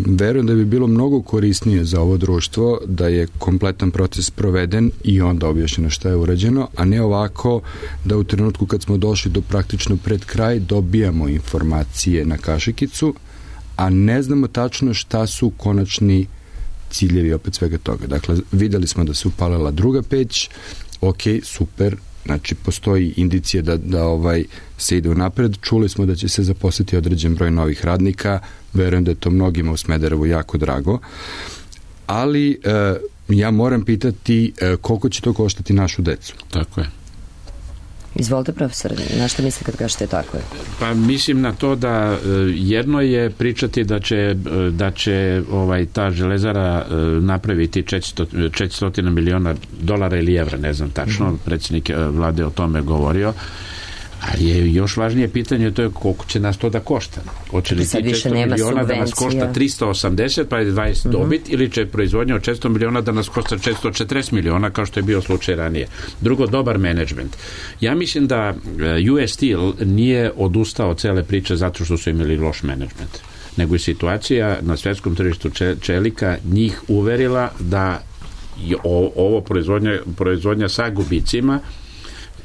Verujem da bi bilo mnogo korisnije za ovo društvo da je kompletan proces proveden i onda objašnjeno šta je urađeno, a ne ovako da u trenutku kad smo došli do praktično pred kraj dobijamo informacije na kašikicu, a ne znamo tačno šta su konačni ciljevi opet svega toga. Dakle, videli smo da se upalila druga peć, ok, super, znači postoji indicija da se ide unapred, čuli smo da će se zaposliti određen broj novih radnika, verujem da je to mnogima u Smederevu jako drago, ali ja moram pitati koliko će to koštati našu decu. Tako je. Izvolite, profesor, na što mislite kad kažete tako je? Pa mislim na to da jedno je pričati da će ta železara napraviti $400 miliona ili evra, ne znam tačno, predsjednik vlade o tome govorio, Ali je još važnije pitanje, to je koliko će nas to da košta. Hoće li ti 400 miliona da nas košta 380 pa je 20 dobit, ili će proizvodnja od 400 miliona da nas košta 440 miliona, kao što je bio slučaj ranije. Drugo, dobar menadžment. Ja mislim da US Steel nije odustao od cele priče zato što su imali loš menadžment, nego je situacija na svetskom tržištu čelika njih uverila da ovo proizvodnja sa gubicima.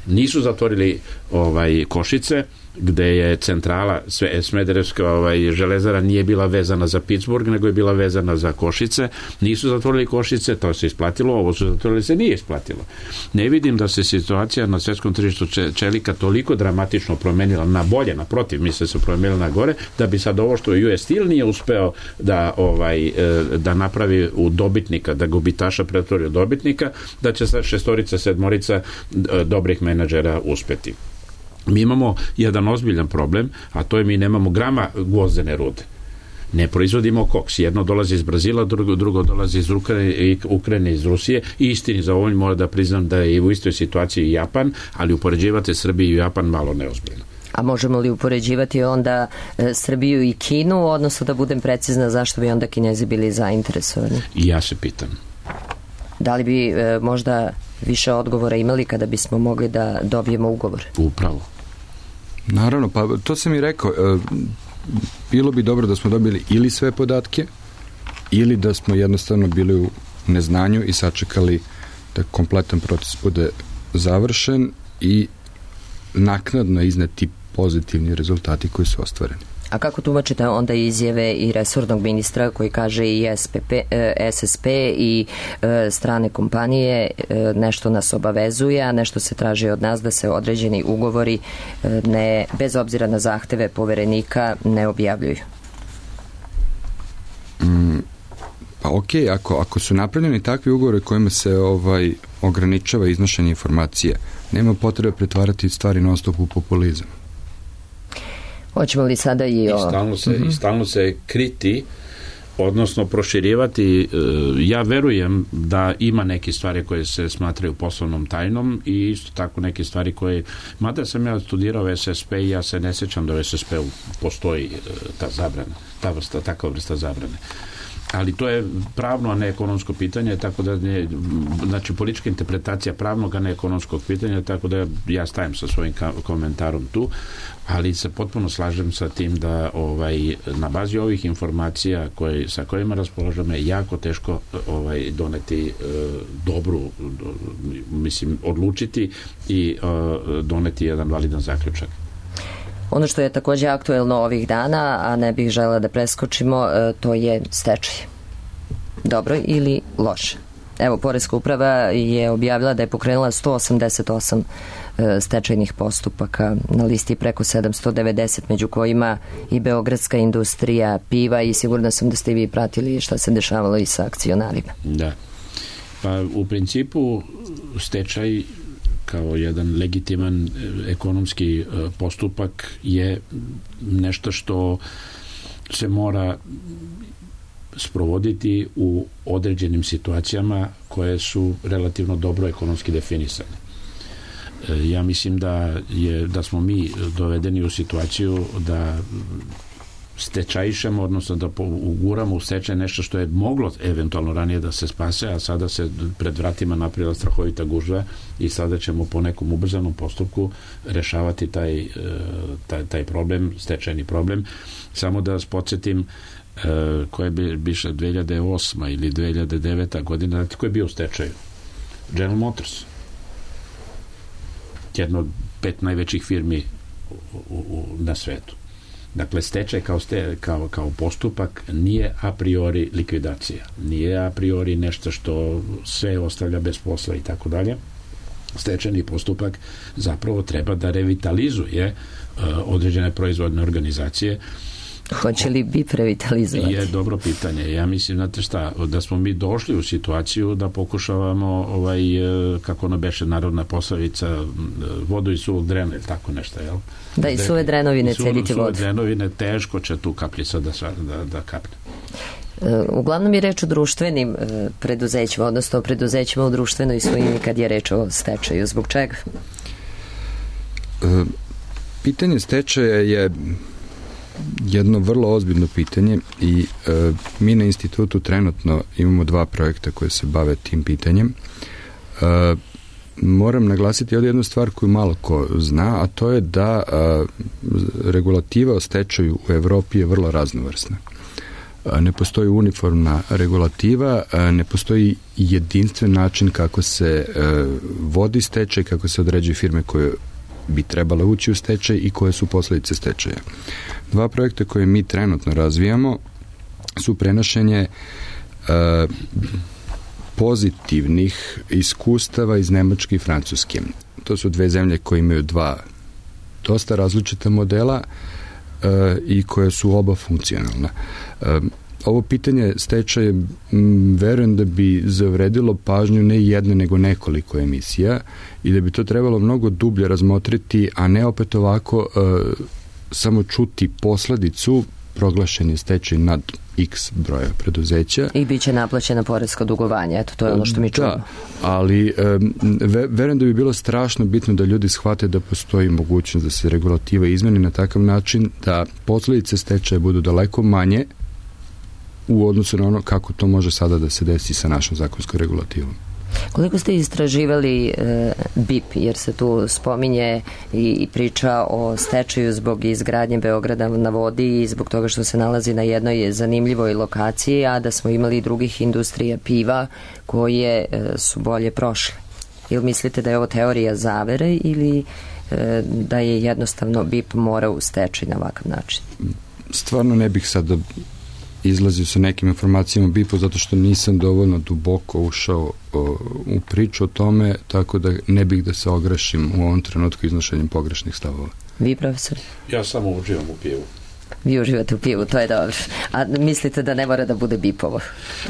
Nisu zatvorili Košice, gde je centrala Smederevska železara nije bila vezana za Pittsburgh, nego je bila vezana za Košice. Nisu zatvorili Košice, to se isplatilo, ovo su zatvorili, se nije isplatilo. Ne vidim da se situacija na svetskom tržištu čelika toliko dramatično promenila na bolje, naprotiv, misle se promenila na gore, da bi sad ovo što US Steel nije uspeo da napravi u dobitnika, da gubitaša pretvori u dobitnika, da će sad 6, 7 dobrih menadžera uspeti. Mi imamo jedan ozbiljan problem, a to je mi nemamo grama gvozdene rude. Ne proizvodimo koks. Jedno dolazi iz Brazila, drugo dolazi iz Ukrajine, iz Rusije. I istini za ovo mora da priznam da je u istoj situaciji i Japan, ali upoređivati Srbiju i Japan malo neozbiljno. A možemo li upoređivati onda Srbiju i Kinu, odnosno da budem precizna zašto bi onda Kinezi bili zainteresovani? I ja se pitam. Da li bi možda više odgovora imali kada bismo mogli da dobijemo ugovor? Upravo. Naravno, pa to sam i rekao. Bilo bi dobro da smo dobili ili sve podatke, ili da smo jednostavno bili u neznanju i sačekali da kompletan proces bude završen i naknadno izneti pozitivni rezultati koji su ostvareni. A kako tumačite onda izjave i resornog ministra koji kaže i SSP i strane kompanije nešto nas obavezuje, a nešto se traži od nas da se određeni ugovori bez obzira na zahteve poverenika ne objavljuju? Pa okej, ako su napravljeni takvi ugovori kojima se ograničava iznošenje informacije, nema potrebe pretvarati stvari non stop u populizam. Hoćemo li sada i stalno se kriti, odnosno proširivati. Ja verujem da ima neke stvari koje se smatraju poslovnom tajnom i isto tako neke stvari koje, mada sam ja studirao SSP i ja se ne sjećam da u SSP-u postoji ta zabrana, takva vrsta zabrane. Ali to je pravno, a ne ekonomsko pitanje, tako da znači politička interpretacija pravnog, a ne ekonomskog pitanja, tako da ja stajem sa svojim komentarom tu, ali se potpuno slažem sa tim da na bazi ovih informacija sa kojima raspolažemo je jako teško doneti dobru, mislim, odlučiti i doneti jedan validan zaključak. Ono što je također aktuelno ovih dana, a ne bih želela da preskočimo, to je stečaj. Dobro ili loše? Evo, Poreska uprava je objavila da je pokrenula 188 stečajnih postupaka, na listi preko 790, među kojima i Beogradska industrija piva, i sigurna sam da ste i vi pratili šta se dešavalo i sa akcionarima. Da. Pa u principu stečaj kao jedan legitiman ekonomski postupak je nešto što se mora sprovoditi u određenim situacijama koje su relativno dobro ekonomski definisane. Ja mislim da smo mi dovedeni u situaciju da stečajišemo, odnosno da uguramo u stečaj nešto što je moglo eventualno ranije da se spase, a sada se pred vratima napravila strahovita gužva i sada ćemo po nekom ubrzanom postupku rešavati taj problem, stečajni problem. Samo da vas podsjetim koje bi biše 2008. ili 2009. godina, ko je bio u stečaju? General Motors. Jedno od 5 najvećih firmi na svetu. Dakle, stečaj kao postupak nije a priori likvidacija. Nije a priori nešto što sve ostavlja bez posla i tako dalje. Stečajni postupak zapravo treba da revitalizuje određene proizvodne organizacije. Hoće li BIP revitalizovati? Je dobro pitanje. Ja mislim, znate šta, da smo mi došli u situaciju da pokušavamo kako ono beše narodna poslovica, vodu i suvog drena ili tako nešto, jel? Da, i suve drenovine cediti vodu. Suve drenovine, teško će tu kapljica da kapne. Uglavnom je reč o društvenim preduzećima, odnosno o preduzećima u društvenoj svojini kad je reč o stečaju. Zbog čega? Pitanje stečaja je jedno vrlo ozbiljno pitanje i mi na institutu trenutno imamo 2 projekta koje se bave tim pitanjem. Moram naglasiti ovdje jednu stvar koju malo ko zna, a to je da regulativa o stečaju u Evropi je vrlo raznovrsna. Ne postoji uniformna regulativa, ne postoji jedinstven način kako se vodi stečaj, kako se određuju firme koje bi trebale ući u stečaj i koje su posljedice stečaja. 2 projekta koje mi trenutno razvijamo su prenošenje pozitivnih iskustava iz Nemačke i Francuske. To su 2 zemlje koje imaju 2 dosta različita modela i koje su oba funkcionalna. Ovo pitanje stečaja verujem da bi zavredilo pažnju ne jedno nego nekoliko emisija i da bi to trebalo mnogo dublje razmotriti, a ne opet ovako samo čuti posledicu proglašenje stečaj nad x broja preduzeća. I bit će naplaćena poreska dugovanja, eto, to je ono što mi čujemo. Da, ali verujem da bi bilo strašno bitno da ljudi shvate da postoji mogućnost da se regulativa izmeni na takav način da posledice stečaja budu daleko manje u odnosu na ono kako to može sada da se desi sa našom zakonskom regulativom. Koliko ste istraživali BIP, jer se tu spominje i priča o stečaju zbog izgradnje Beograda na vodi i zbog toga što se nalazi na jednoj zanimljivoj lokaciji, a da smo imali i drugih industrija piva koje su bolje prošle. Ili mislite da je ovo teorija zavere ili da je jednostavno BIP mora u stečaj na ovakav način? Stvarno ne bih sada izlazio sa nekim informacijama o BIP-u zato što nisam dovoljno duboko ušao u priču o tome, tako da ne bih da se ograšim u ovom trenutku iznošenjem pogrešnih stavova. Vi, profesor? Ja samo uživam u pivu. Vi uživate u pivu, to je dobro. A mislite da ne mora da bude BIP-ovo?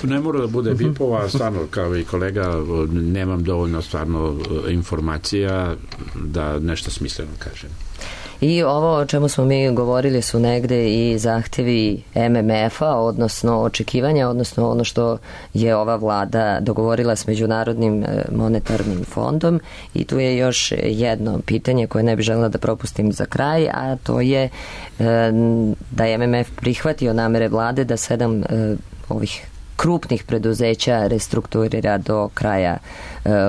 Ne mora da bude BIP-ovo, a stvarno, kao i kolega, nemam dovoljno stvarno informacija da nešto smisleno kažem. I ovo o čemu smo mi govorili su negde i zahtevi MMF-a, odnosno očekivanja, odnosno ono što je ova vlada dogovorila s Međunarodnim monetarnim fondom. I tu je još jedno pitanje koje ne bih željela da propustim za kraj, a to je da je MMF prihvatio namere vlade da 7 ovih krupnih preduzeća restrukturira do kraja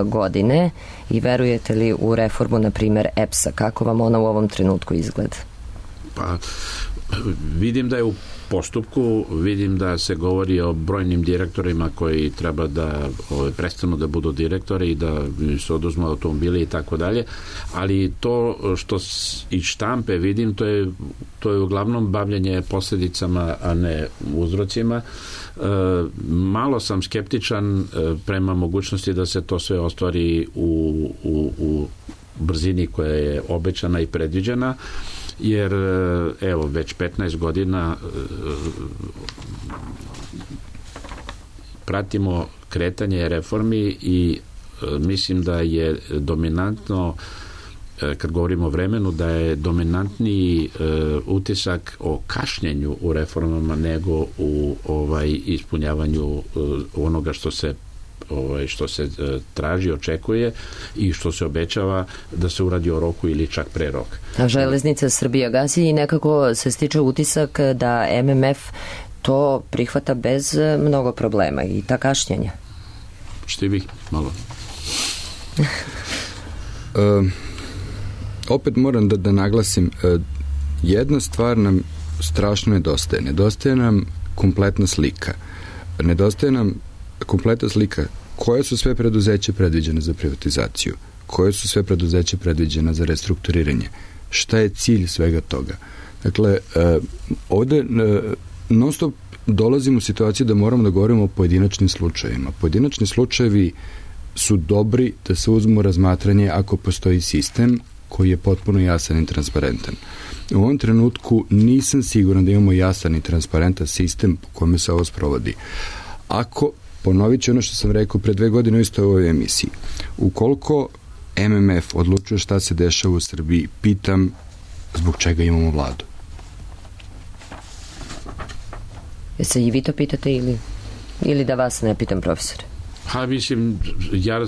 godine. I verujete li u reformu, na primjer, EPS-a? Kako vam ona u ovom trenutku izgleda? Pa, vidim da je u postupku, vidim da se govori o brojnim direktorima koji treba da prestanu da budu direktori i da se oduzmu automobili i tako dalje, ali to što iz štampe vidim, to je uglavnom bavljanje posljedicama, a ne uzrocima. Malo sam skeptičan prema mogućnosti da se to sve ostvari u brzini koja je obećana i predviđena, jer evo već 15 godina pratimo kretanje reformi i mislim da je dominantno, kad govorimo o vremenu, da je dominantniji utisak o kašnjenju u reformama nego u ispunjavanju onoga što se traži, očekuje i što se obećava da se uradi o roku ili čak pre roka. A Železnica Srbija gasi i nekako se stiče utisak da MMF to prihvata bez mnogo problema i ta kašnjenja. Što vi malo? Opet moram da naglasim, jedna stvar nam strašno nedostaje. Nedostaje nam kompletna slika. Nedostaje nam kompletna slika koje su sve preduzeće predviđene za privatizaciju, koje su sve preduzeće predviđene za restrukturiranje, šta je cilj svega toga. Dakle, ovde non stop dolazimo u situaciju da moramo da govorimo o pojedinačnim slučajevima. Pojedinačni slučajevi su dobri da se uzmu razmatranje ako postoji sistem koji je potpuno jasan i transparentan. U ovom trenutku nisam siguran da imamo jasan i transparentan sistem po kome se ovo sprovodi. Ako, ponovit ću ono što sam rekao pre 2 godine isto u ovoj emisiji, ukoliko MMF odlučuje šta se dešava u Srbiji, pitam zbog čega imamo vladu. Se i vi to pitate ili da vas ne pitam, profesore? Mislim,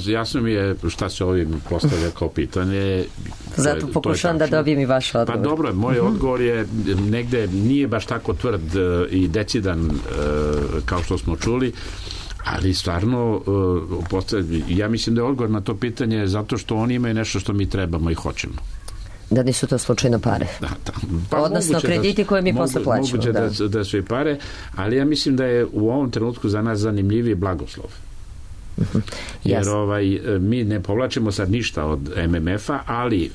jasno mi je šta se ovim postavlja kao pitanje. Zato pokušavam da dobijem i vaš odgovor. Pa dobro, moj odgovor je negde nije baš tako tvrd i decidan kao što smo čuli, ali stvarno ja mislim da je odgovor na to pitanje zato što oni imaju nešto što mi trebamo i hoćemo. Da nisu to slučajno pare. Da. Pa odnosno krediti koje mi posle plaćamo. Moguće da su i pare, ali ja mislim da je u ovom trenutku za nas zanimljiviji blagoslov. Jer mi ne povlačimo sad ništa od MMF-a, ali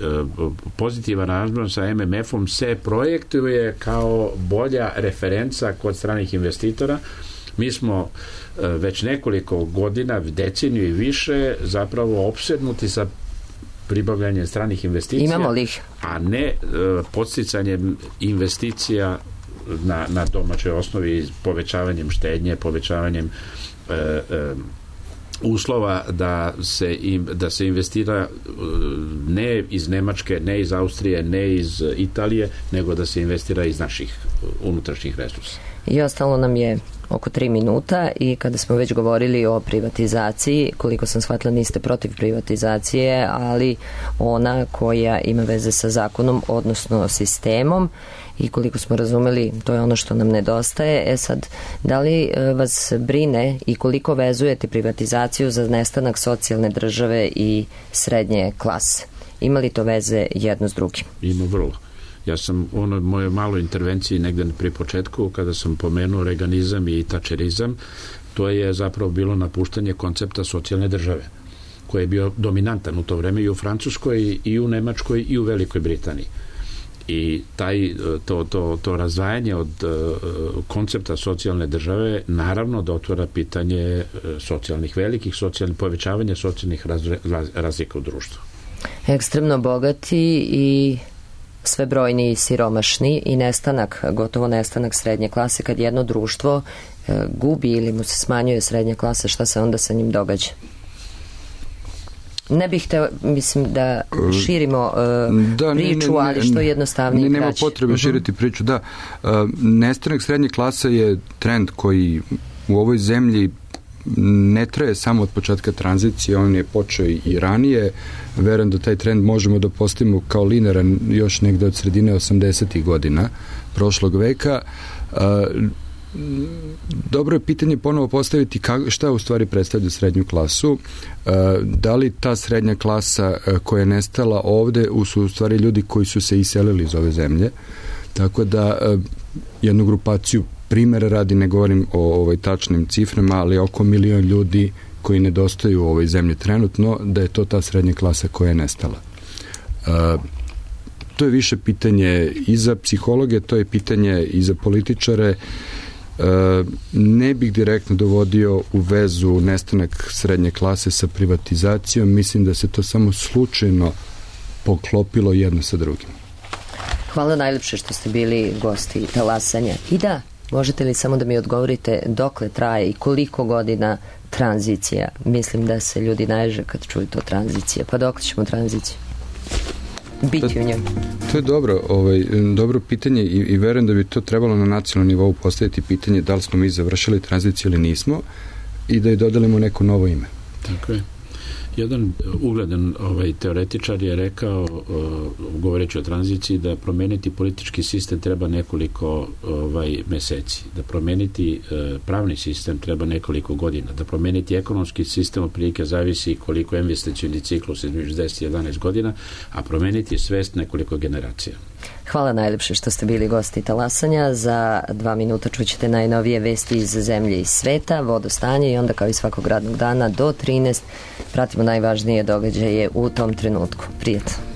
pozitivan aranžman sa MMF-om se projektuje kao bolja referenca kod stranih investitora. Mi smo već nekoliko godina, deceniju i više, zapravo opsednuti sa pribavljanjem stranih investicija. Imamo li ih? A ne podsticanjem investicija na domaćoj osnovi, povećavanjem štednje, povećavanjem uslova da se investira ne iz Nemačke, ne iz Austrije, ne iz Italije, nego da se investira iz naših unutrašnjih resursa. I ostalo nam je oko 3 minuta i kada smo već govorili o privatizaciji, koliko sam shvatila niste protiv privatizacije, ali ona koja ima veze sa zakonom, odnosno sistemom, i koliko smo razumeli, to je ono što nam nedostaje. Sad, da li vas brine i koliko vezujete privatizaciju za nestanak socijalne države i srednje klase? Ima li to veze jedno s drugim? Ima vrlo. Ja sam u mojoj maloj intervenciji negde pri početku, kada sam pomenuo reganizam i tačerizam, to je zapravo bilo napuštanje koncepta socijalne države, koji je bio dominantan u to vreme i u Francuskoj, i u Nemačkoj, i u Velikoj Britaniji. I to razdvajanje od koncepta socijalne države naravno da otvara pitanje povećavanja socijalnih razlika u društvu. Ekstremno bogati i sve brojni i siromašni i gotovo nestanak srednje klase. Kad jedno društvo gubi ili mu se smanjuje srednja klasa, šta se onda sa njim događa? Ne bih hteo, mislim, da širimo priču, ali što jednostavnije i kraće. Nema potrebe širiti priču, da. Nestanak srednje klase je trend koji u ovoj zemlji ne traje samo od početka tranzicije, on je počeo i ranije. Verujem da taj trend možemo da postavimo kao linearan još negde od sredine 80. godina prošlog veka. Dobro je pitanje ponovo postaviti šta u stvari predstavlja srednju klasu. Da li ta srednja klasa koja je nestala ovde su u stvari ljudi koji su se iselili iz ove zemlje. Tako da jednu grupaciju primjera radi, ne govorim o tačnim ciframa, ali oko 1 milion ljudi koji nedostaju u ovoj zemlji trenutno, da je to ta srednja klasa koja je nestala. To je više pitanje i za psihologe, to je pitanje i za političare. Ne bih direktno dovodio u vezu nestanak srednje klase sa privatizacijom, mislim da se to samo slučajno poklopilo jedno sa drugim. Hvala najlepše što ste bili gosti Talasanja. I da, možete li samo da mi odgovorite dokle traje i koliko godina tranzicija? Mislim da se ljudi naježe kad čuju to tranzicija. Pa dokle ćemo tranziciju biti u njemu? To je dobro pitanje i verujem da bi to trebalo na nacionalnom nivou postaviti pitanje da li smo mi završili tranziciju ili nismo i da je dodelimo neko novo ime. Tako je. Jedan ugledan teoretičar je rekao, govoreći o tranziciji, da promeniti politički sistem treba nekoliko meseci, da promeniti pravni sistem treba nekoliko godina, da promeniti ekonomski sistem otprilike zavisi koliko je investicioni ciklus između 10 i 11 godina, a promeniti svest nekoliko generacija. Hvala najlepše što ste bili gosti Talasanja. Za 2 minuta čućete najnovije vesti iz zemlje i sveta, vodostanje i onda kao i svakog radnog dana do 13 pratimo najvažnije događaje u tom trenutku. Prijatno.